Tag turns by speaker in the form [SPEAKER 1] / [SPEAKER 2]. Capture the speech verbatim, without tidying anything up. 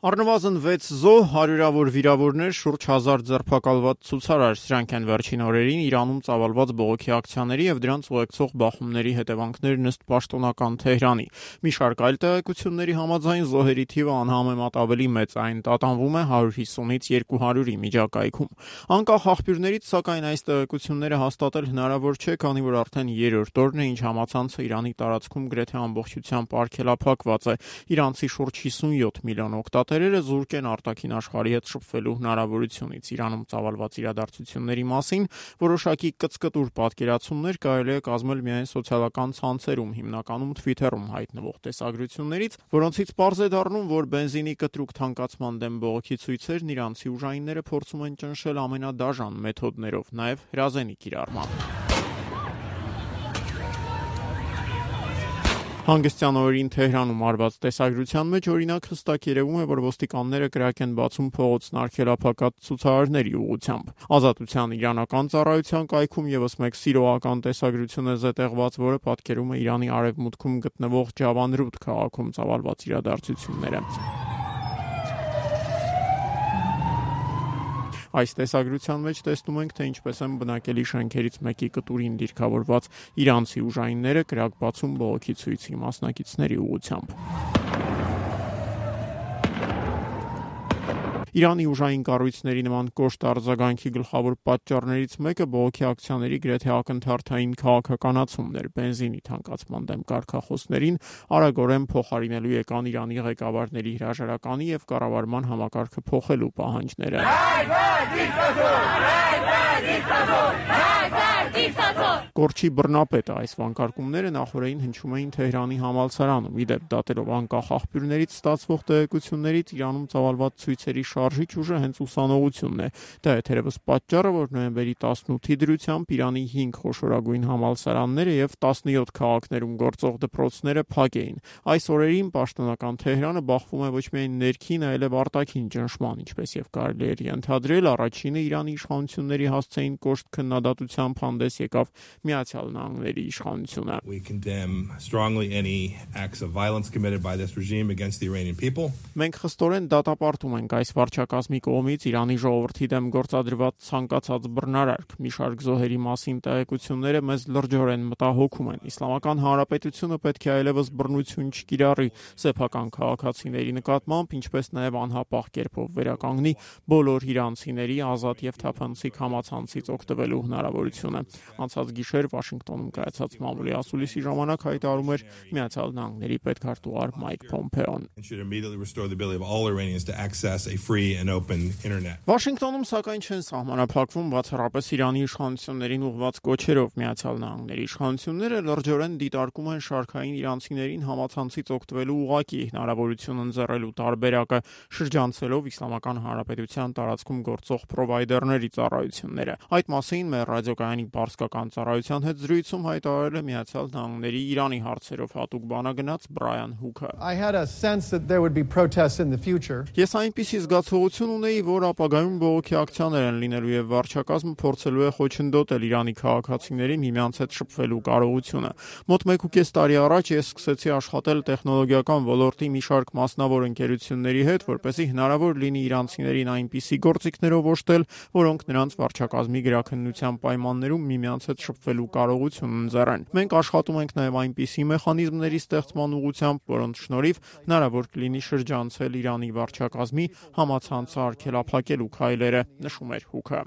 [SPEAKER 1] Առնվազն վեց զոհ, հարյուրավոր վիրավորներ, շուրջ հազար ձերբակալված ցուցարար, սրանք են վերջին օրերին Իրանում ծավալված բողոքի ակցիաների եւ դրանց ուղեկցող բախումների հետևանքներն ըստ պաշտոնական Թեհրանի։ Մի շարք այլ տեղեկությունների համաձայն զոհերի թիվը անհամեմատ ավելի մեծ, այն տատանվում է հարյուր հիսունից երկու հարյուրի միջակայքում։ Անկախ աղբյուրներից, սակայն այս տեղեկությունները հաստատել հնարավոր չէ, քանի որ արդեն երրորդ օրն է, ինչ համացանցը Իրանի տարածքում գրեթե ամբողջությամբ արգելափակված է։ Իրանցի շուրջ հիսունյոթ միլիոն օգտատերերը զուրկ են արտաքին աշխարհի հետ շփվելու հնարավորությունից։ Իրանում ծավալված իրադարձությունների մասին որոշակի կծկտուր պատկերացումներ կարելի է կազմել միայն սոցիալական ցանցերում, հիմնականում Twitter-ում հայտնվող տեսագրություններից, որոնցից պարզ է դառնում, որ բենզինի կտրուկ թանկացման դեմ բողոքի ցույցերն իրանցի ուժայինները փորձում են ճնշել ամենադաժան մեթոդներով, նաև հրազենի կիրառմամբ։ Հանգստյան օրերին Թեհրանում արված տեսագրության մեջ օրինակ հստակ երևում է, որ ոստիկանները կրակ են բացում փողոցն արգելափակած ցուցարարների ուղղությամբ։ Ազատության իրանական ծառայության կայքում եւս մեկ սիրողական տեսագրություն է զետեղված, որը պատկերում է Իրանի արևմուտքում գտնվող Ջավանրուդ քաղաքում ծավալված իրադարձությունները։ Այս տեսագրության մեջ տեսնում ենք, թե ինչպես են բնակելի շենքերից մեկի կտուրին դիրքավորված իրանցի ուժայինները կրակ բացում բողոքի ցույցի մասնակիցների ուղղությամբ։ Իրանի ուժային կառույցների նման կոշտ արձագանքի գլխավոր պատճառներից մեկը բողոքի ակցիաների գրեթե ակնթարթային քաղաքականացումն էր։ Բենզինի թանկացման դեմ կարգախոսներին արագորեն փոխարինելու եկան Իրանի ղեկավարների հրաժարականի եւ կառավարման համակարգը փոխելու պահանջները։ Կորչի բռնապետը այս վանկարկումները նախորդին հնչում էին Թեհրանի համալսարանում։ Ի դեպ, դատելով անկախ աղբյուրներից ստացվող տեղեկություններից, Իրանում ծավալված ցույցերի շարժիչ ուժը հենց ուսանողությունն է։ Դա է թերևս պատճառը, որ նոյեմբերի տասնութի դրությամբ Իրանի հինգ խոշորագույն համալսարանները եւ տասնյոթ քաղաքներում գործող դպրոցները փակ էին։ Այս օրերին պաշտոնական Թեհրանը բախվում է ոչ միայն ներքին, այլև արտաքին ճնշման, ինչպես եւ կարելի էր ենթադրել, առաջինը Իրանի իշխանությունների հասցեին կոշտ քննադատությամբ հանդես եկավ Միացյալ Նահանգների իշխանությունը։
[SPEAKER 2] We condemn strongly any acts of violence committed by this regime against the Iranian people.
[SPEAKER 1] Մենք խստորեն դատապարտում ենք այս վարչակազմի կողմից Իրանի ժողովրդի դեմ գործադրված ցանկացած բռնարարք։ Մի շարք զոհերի մասին տեղեկությունները մեզ լրջորեն մտահոգում են։ Իսլամական Հանրապետությունը պետք է այլևս բռնություն չկիրառի սեփական քաղաքացիների նկատմամբ, ինչպես նաև անհապաղ կերպով վերականգնի բոլոր իրանցիների ազատ եւ թափանցիկ համացանցից օգտվելու հնարավորությունը։ Անցած գիշեր Վաշինգտոնում կայացած մամուլի ասուլիսի ժամանակ հայտարարում էր Միացյալ Նահանգների պետքարտուղար Մայք Փոմփեոն։ Վաշինգտոնում սակայն չեն սահմանափակվում բացառապես Իրանի իշխանություններին ուղղված կոչերով։ Միացյալ Նահանգների իշխանությունները լրջորեն դիտարկում են շարքային իրանցիներին համացանցից օգտվելու ուղղակի հնարավորություն ընձեռելու տարբերակը, շրջանցելով Իսլամական Հանրապետության տարածքում գործող պրովայդերների ծառայությունները։ Այդ մասին մեր ռադիոկայանի պարսկական ծառայության հետ զրույցում հայտարարել է Միացյալ Նահանգների Իրանի հարցերով հատուկ բանագնաց Բրայան Հուքը։ Ես այնպիսի զգացողություն ունեի, որ ապագայում բողոքի ակցիաներ են լինելու եւ վարչակազմը փորձելու է խոչընդոտել Իրանի քաղաքացիներին միմյանց հետ շփվելու կարողությունը։ Մոտ մեկ ու կես տարի առաջ ես սկսեցի աշխատել տեխնոլոգիական ոլորտի մի շարք մասնավոր ընկերությունների հետ, որպեսզի հնարավոր լինի իրանցիներին այնպիսի գործիքներով օժտել, որոնք նրանց վարչակազմի գրաքննության պայմաններում միմյանց հետ շփվելու կարողություն ընձեռեն։ Մենք աշխատում ենք նաև այնպիսի մեխանիզմների ստեղծման ուղղությամբ, որոնց շնորհիվ հնարավոր կլինի շրջանցել Իրանի վարչակազմի համացանցը արգելափակելու քայլերը, նշում էր Հուքը։